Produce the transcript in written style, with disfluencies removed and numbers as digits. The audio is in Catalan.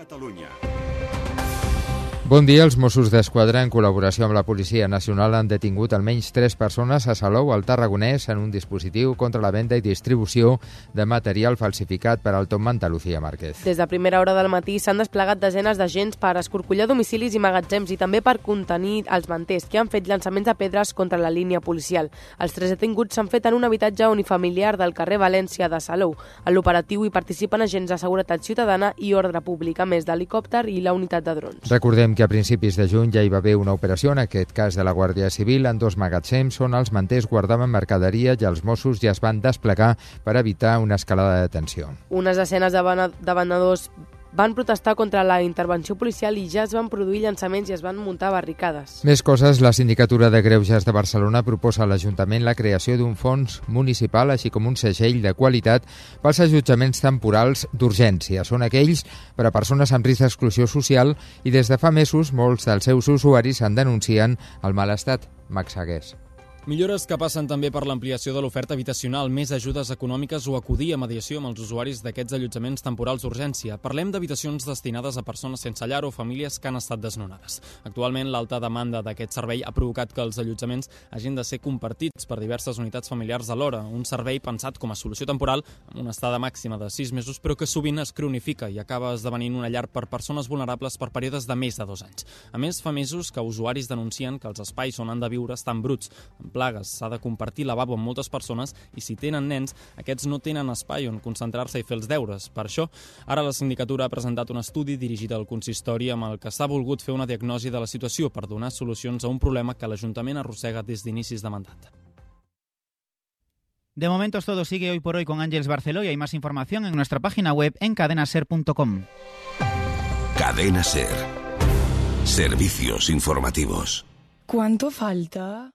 Catalunya. Bon dia. Els Mossos d'Esquadra, en col·laboració amb la Policia Nacional, han detingut almenys 3 persones a Salou, al Tarragonès, en un dispositiu contra la venda i distribució de material falsificat per al Tomman Lucía Márquez. Des de primera hora del matí s'han desplegat desenes d'agents per escorcollar domicilis i magatzems i també per contenir els manters que han fet llançaments de pedres contra la línia policial. Els 3 detinguts s'han fet en un habitatge unifamiliar del carrer València de Salou. En l'operatiu hi participen agents de seguretat ciutadana i ordre públic, a més d'helicòpter i la unitat de drons. Recordem que a principis de juny ja hi va haver una operació, en aquest cas de la Guàrdia Civil, en 2 magatzems on els manters guardaven mercaderia i els Mossos ja es van desplegar per evitar una escalada de tensió. Unes desenes de venedors van protestar contra la intervenció policial i ja es van produir llançaments i es van muntar barricades. Més coses. La Sindicatura de Greuges de Barcelona proposa a l'Ajuntament la creació d'un fons municipal, així com un segell de qualitat pels allotjaments temporals d'urgència. Són aquells per a persones amb risc d'exclusió social i des de fa mesos molts dels seus usuaris en denuncien el mal estat. Max Sagués. Millores que passen també per l'ampliació de l'oferta habitacional, més ajudes econòmiques o acudir a mediació amb els usuaris d'aquests allotjaments temporals d'urgència. Parlem d'habitacions destinades a persones sense llar o famílies que han estat desnonades. Actualment, l'alta demanda d'aquest servei ha provocat que els allotjaments hagin de ser compartits per diverses unitats familiars alhora. Un servei pensat com a solució temporal, amb una estada màxima de 6 mesos, però que sovint es cronifica i acaba esdevenint una llar per persones vulnerables per períodes de més de 2 anys. A més, fa mesos que usuaris denuncien que els espais on han de viure estan bruts, plagues, s'ha de compartir lavabo amb moltes persones i si tenen nens, aquests no tenen espai on concentrar-se i fer els deures. Per això, ara la Sindicatura ha presentat un estudi dirigit al consistori amb el que s'ha volgut fer una diagnosi de la situació per donar solucions a un problema que l'Ajuntament arrossega des d'inicis de mandat. De momento todo sigue hoy por hoy con Ángeles Barceló y hay más información en nuestra página web en cadenaser.com. Cadena Ser. Servicios informativos. ¿Cuánto falta?